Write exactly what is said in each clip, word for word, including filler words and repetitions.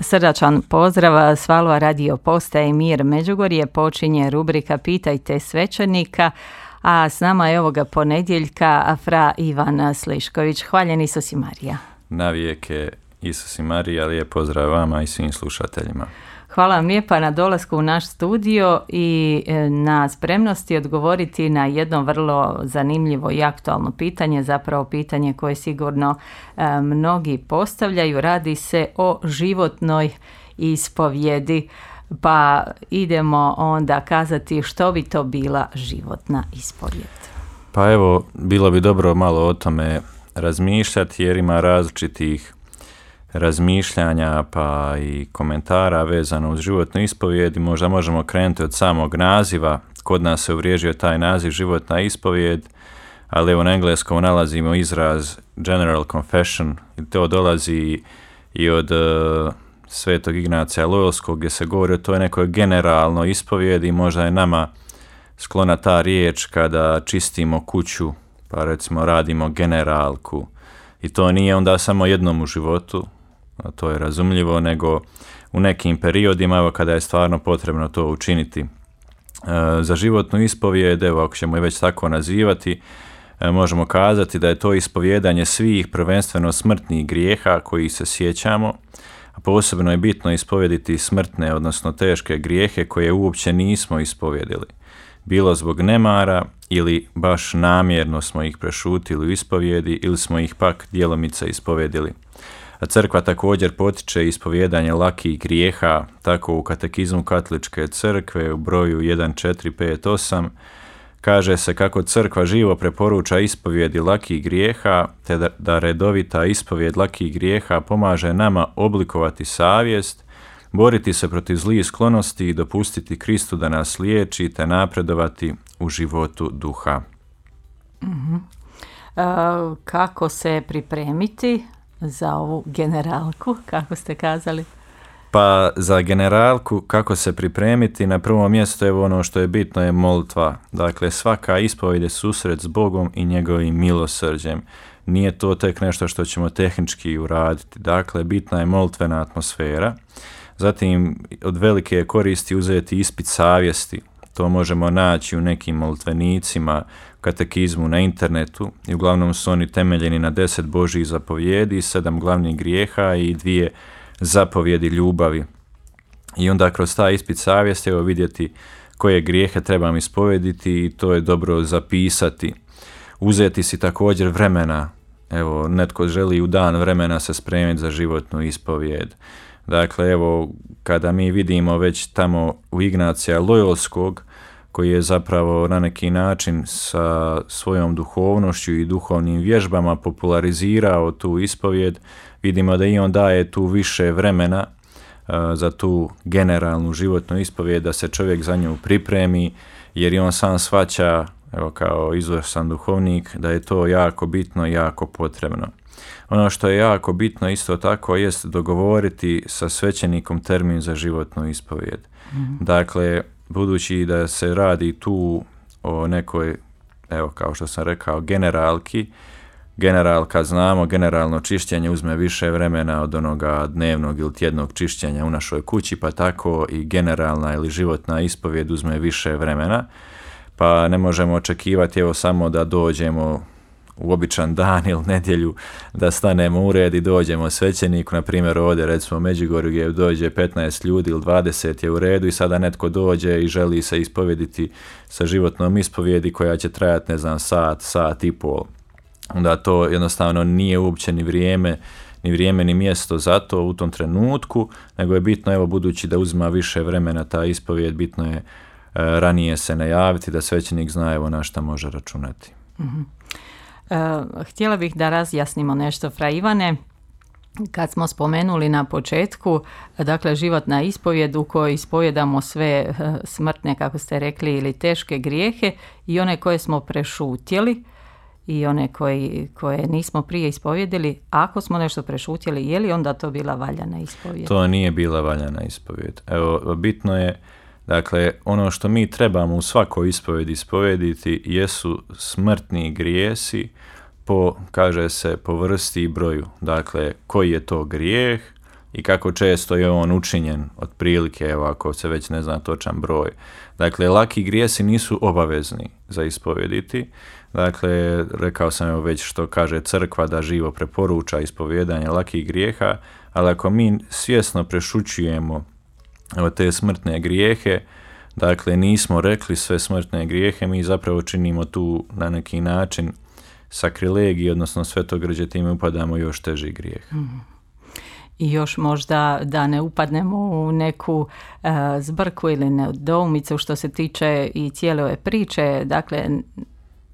Srdačan pozdrav s Valua radio postaje Mir Međugorje, počinje rubrika Pitajte svećenika, a s nama je ovoga ponedjeljka fra Ivan Slišković. Hvaljen Isus i Marija. Navijeke Isus i Marija, lijep pozdrav vama i svim slušateljima. Hvala vam lijepa na dolasku u naš studio i na spremnosti odgovoriti na jedno vrlo zanimljivo i aktualno pitanje, zapravo pitanje koje sigurno e, mnogi postavljaju. Radi se o životnoj ispovjedi, pa idemo onda kazati što bi to bila životna ispovjed. Pa evo, bilo bi dobro malo o tome razmišljati jer ima različitih razmišljanja pa i komentara vezano uz životnu ispovijed i možda možemo krenuti od samog naziva. Kod nas se uvriježio taj naziv životna ispovijed, ali evo na engleskom nalazimo izraz general confession i to dolazi i od uh, Svetog Ignacija Lojolskog gdje se govori o toj nekoj generalno ispovijedi. Možda je nama sklona ta riječ kada čistimo kuću, pa recimo radimo generalku i to nije onda samo jednom u životu, to je razumljivo, nego u nekim periodima, evo kada je stvarno potrebno to učiniti. E, za životnu ispovijed, evo ako ćemo je već tako nazivati, e, možemo kazati da je to ispovjedanje svih prvenstveno smrtnih grijeha koji se sjećamo, a posebno je bitno ispovjediti smrtne, odnosno teške grijehe koje uopće nismo ispovjedili. Bilo zbog nemara ili baš namjerno smo ih prešutili u ispovjedi ili smo ih pak djelomice ispovjedili. A crkva također potiče ispovjedanje lakih grijeha, tako u katekizmu Katoličke crkve u broju jedan četiri pet osam kaže se kako crkva živo preporuča ispovjedi lakih grijeha, te da, da redovita ispovjed lakih grijeha pomaže nama oblikovati savjest, boriti se protiv zlih sklonosti i dopustiti Kristu da nas liječi te napredovati u životu duha. Uh-huh. E, kako se pripremiti za ovu generalku, kako ste kazali? Pa za generalku kako se pripremiti, na prvom mjestu je ono što je bitno je molitva. Dakle, svaka ispovijed je susret s Bogom i njegovim milosrđem. Nije to tek nešto što ćemo tehnički uraditi. Dakle, bitna je molitvena atmosfera. Zatim, od velike je koristi uzeti ispit savjesti. To možemo naći u nekim molitvenicima, katekizmu na internetu i uglavnom su oni temeljeni na deset Božjih zapovjedi, sedam glavnih grijeha i dvije zapovjedi ljubavi. I onda kroz taj ispit savjesti evo vidjeti koje grijehe trebam ispovjediti i to je dobro zapisati. Uzeti si također vremena, evo netko želi u dan vremena se spremiti za životnu ispovjed. Dakle, evo, kada mi vidimo već tamo u Ignacija Lojolskog, koji je zapravo na neki način sa svojom duhovnošću i duhovnim vježbama popularizirao tu ispovjed, vidimo da i on daje tu više vremena uh, za tu generalnu životnu ispovjed, da se čovjek za nju pripremi, jer i on sam shvaća, evo kao izvrstan duhovnik, da je to jako bitno i jako potrebno. Ono što je jako bitno isto tako jest dogovoriti sa svećenikom termin za životnu ispovjed. Mm-hmm. Dakle, budući da se radi tu o nekoj, evo kao što sam rekao, generalki, generalka znamo, generalno čišćenje uzme više vremena od onoga dnevnog ili tjednog čišćenja u našoj kući, pa tako i generalna ili životna ispovjed uzme više vremena, pa ne možemo očekivati evo samo da dođemo u običan dan ili nedjelju, da stanemo u red i dođemo svećeniku, na primjer ovdje recimo u Međugorju gdje dođe petnaest ljudi ili dvadeset je u redu i sada netko dođe i želi se ispovjediti sa životnom ispovjedi koja će trajati ne znam sat, sat i pol. Onda to jednostavno nije uopće ni vrijeme, ni vrijeme ni mjesto za to u tom trenutku, nego je bitno, evo budući da uzima više vremena ta ispovjed, bitno je e, ranije se najaviti da svećenik zna evo na šta može računati. Mm-hmm. Uh, htjela bih da razjasnimo nešto, fra Ivane, kad smo spomenuli na početku, dakle životna ispovjed u kojoj ispovjedamo sve uh, smrtne, kako ste rekli, ili teške grijehe i one koje smo prešutjeli i one koji, koje nismo prije ispovjedili. Ako smo nešto prešutjeli, je li onda to bila valjana ispovjed? To nije bila valjana ispovjed. Evo, bitno je, dakle, ono što mi trebamo u svakoj ispovjedi ispovjediti jesu smrtni grijesi po, kaže se, po vrsti i broju. Dakle, koji je to grijeh, i kako često je on učinjen, otprilike, evo ako se već ne zna točan broj. Dakle, laki grijesi nisu obavezni za ispovjediti. Dakle, rekao sam evo već što kaže crkva da živo preporuča ispovjedanje lakih grijeha, ali ako mi svjesno prešućujemo evo, te smrtne grijehe, dakle nismo rekli sve smrtne grijehe, mi zapravo činimo tu na neki način sakrilegij, odnosno svetogrđe, time upadamo još teži grijeh. Mm. I još možda da ne upadnemo u neku uh, zbrku ili nedoumicu što se tiče i cijele ove priče, dakle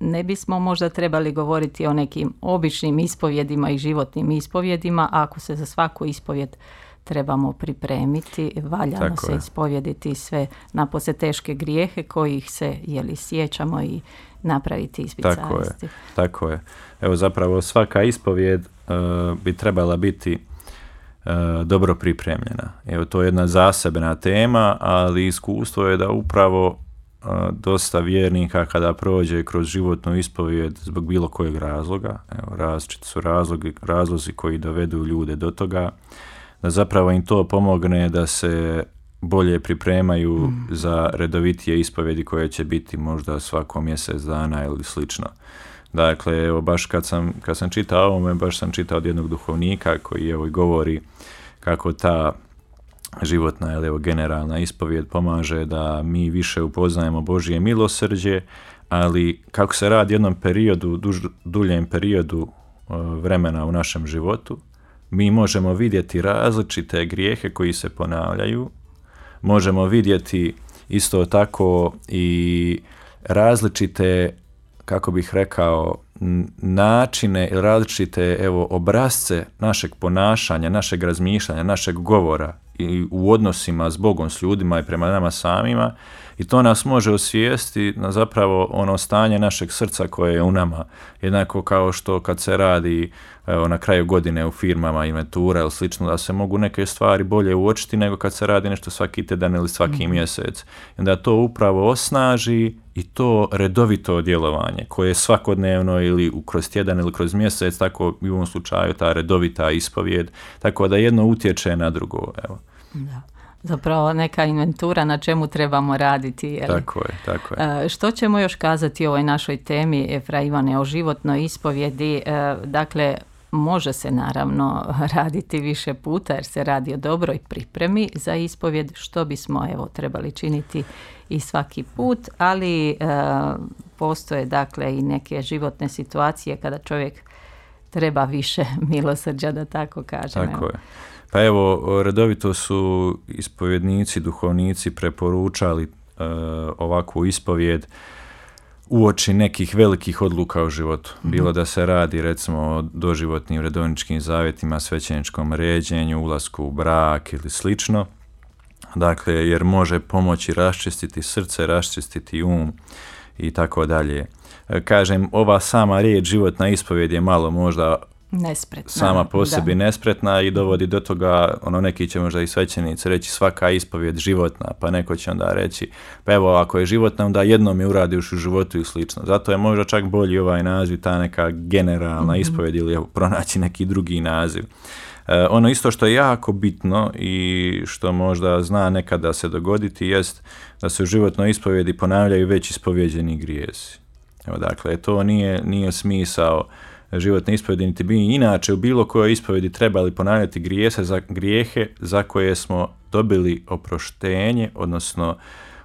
ne bismo možda trebali govoriti o nekim običnim ispovjedima i životnim ispovjedima, ako se za svaku ispovjed trebamo pripremiti, valjano Tako se je. ispovjediti sve napose teške grijehe kojih se jeli sjećamo i napraviti ispit Tako je, savjesti. tako je. Evo zapravo svaka ispovjed uh, bi trebala biti uh, dobro pripremljena. Evo to je jedna zasebna tema, ali iskustvo je da upravo uh, dosta vjernika kada prođe kroz životnu ispovjed zbog bilo kojeg razloga, evo različiti su razlogi, razlozi koji dovedu ljude do toga, da zapravo im to pomogne da se bolje pripremaju mm. za redovitije ispovjedi koje će biti možda svako mjesec dana ili slično. Dakle, evo baš kad sam, kad sam čitao ovome, baš sam čitao od jednog duhovnika koji evo govori kako ta životna ili evo generalna ispovjed pomaže da mi više upoznajemo Božje milosrđe, ali kako se radi jednom periodu, duž, duljem periodu uh, vremena u našem životu, mi možemo vidjeti različite grijehe koji se ponavljaju, možemo vidjeti isto tako i različite, kako bih rekao, načine ili različite evo, obrazce našeg ponašanja, našeg razmišljanja, našeg govora i u odnosima s Bogom, s ljudima i prema nama samima, i to nas može osvijestiti na zapravo ono stanje našeg srca koje je u nama. Jednako kao što kad se radi evo, na kraju godine u firmama inventura ili slično, da se mogu neke stvari bolje uočiti nego kad se radi nešto svaki tjedan ili svaki mm. mjesec. I onda to upravo osnaži i to redovito djelovanje koje je svakodnevno ili kroz tjedan ili kroz mjesec, tako i u ovom slučaju ta redovita ispovjed, tako da jedno utječe na drugo. Evo. Da. Zapravo neka inventura na čemu trebamo raditi. Jel? Tako je, tako je. Što ćemo još kazati o ovoj našoj temi, Fra Ivane, o životnoj ispovjedi? Dakle, može se naravno raditi više puta jer se radi o dobroj pripremi za ispovjed, što bismo evo trebali činiti i svaki put, ali e, postoje dakle i neke životne situacije kada čovjek treba više milosrđa, da tako kažem. Tako je. Pa evo, redovito su ispovjednici, duhovnici preporučali uh, ovakvu ispovjed uoči nekih velikih odluka u životu. Mm-hmm. Bilo da se radi recimo o doživotnim redovničkim zavjetima, svećeničkom ređenju, ulasku u brak ili slično. Dakle, jer može pomoći raščistiti srce, raščistiti um i tako dalje. Kažem, ova sama riječ životna ispovjed je malo možda nespretna, sama po sebi da. nespretna i dovodi do toga, ono neki će možda i svećenici reći svaka ispovjed životna, pa neko će onda reći, pa evo ako je životna onda jednom je uradiš u životu i slično. Zato je možda čak bolji ovaj naziv, ta neka generalna mm-hmm. ispovjed ili pronaći neki drugi naziv. E, ono isto što je jako bitno i što možda zna nekada se dogoditi jest da se u životnoj ispovjedi ponavljaju već ispovjeđeni grijesi. Evo dakle, to nije, nije smisao životne ispovjedi, niti bi inače u bilo kojoj ispovjedi trebali ponavljati grijehe za, grijehe za koje smo dobili oproštenje, odnosno,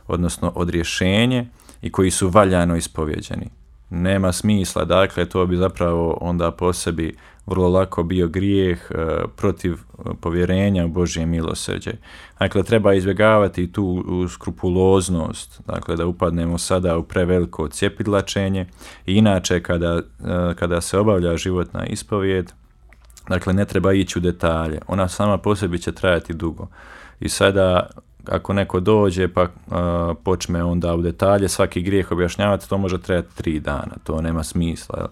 odnosno odrješenje i koji su valjano ispovjeđeni. Nema smisla, dakle, to bi zapravo onda po sebi vrlo lako bio grijeh e, protiv povjerenja u Božje milosrđe. Dakle, treba izbjegavati tu skrupuloznost, dakle, da upadnemo sada u preveliko cjepidlačenje i inače kada, e, kada se obavlja životna ispovjed, dakle, ne treba ići u detalje. Ona sama po sebi će trajati dugo. I sada ako neko dođe pa uh, počne onda u detalje svaki grijeh objašnjavati, to može trajati tri dana, to nema smisla. Jel?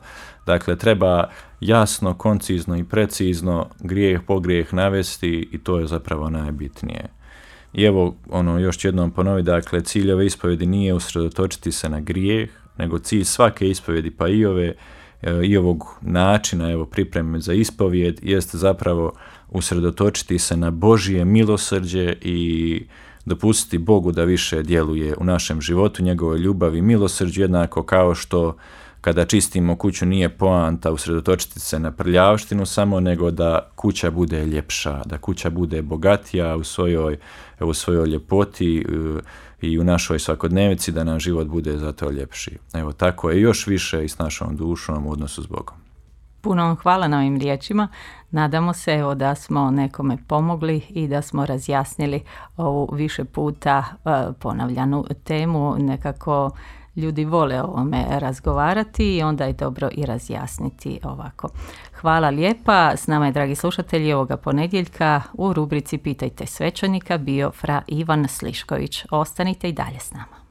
Dakle, treba jasno, koncizno i precizno grijeh po grijeh navesti i to je zapravo najbitnije. I evo, ono, još jednom ponovi, dakle, cilj ove ispovjedi nije usredotočiti se na grijeh, nego cilj svake ispovjedi, pa i ove, i ovog načina evo, pripreme za ispovijed jest zapravo usredotočiti se na Božje milosrđe i dopustiti Bogu da više djeluje u našem životu, njegovoj ljubavi i milosrđu, jednako kao što kada čistimo kuću nije poanta usredotočiti se na prljavštinu samo, nego da kuća bude ljepša, da kuća bude bogatija u svojoj, u svojoj ljepoti i u našoj svakodnevici, da nam život bude zato ljepši. Evo, tako je još više i s našom dušom u odnosu s Bogom. Puno vam hvala na ovim riječima. Nadamo se evo, da smo nekome pomogli i da smo razjasnili ovu više puta uh, ponavljanu temu. Nekako ljudi vole o ovome razgovarati i onda je dobro i razjasniti ovako. Hvala lijepa. S nama je, dragi slušatelji, ovoga ponedjeljka u rubrici Pitajte svećenika bio fra Ivan Slišković. Ostanite i dalje s nama.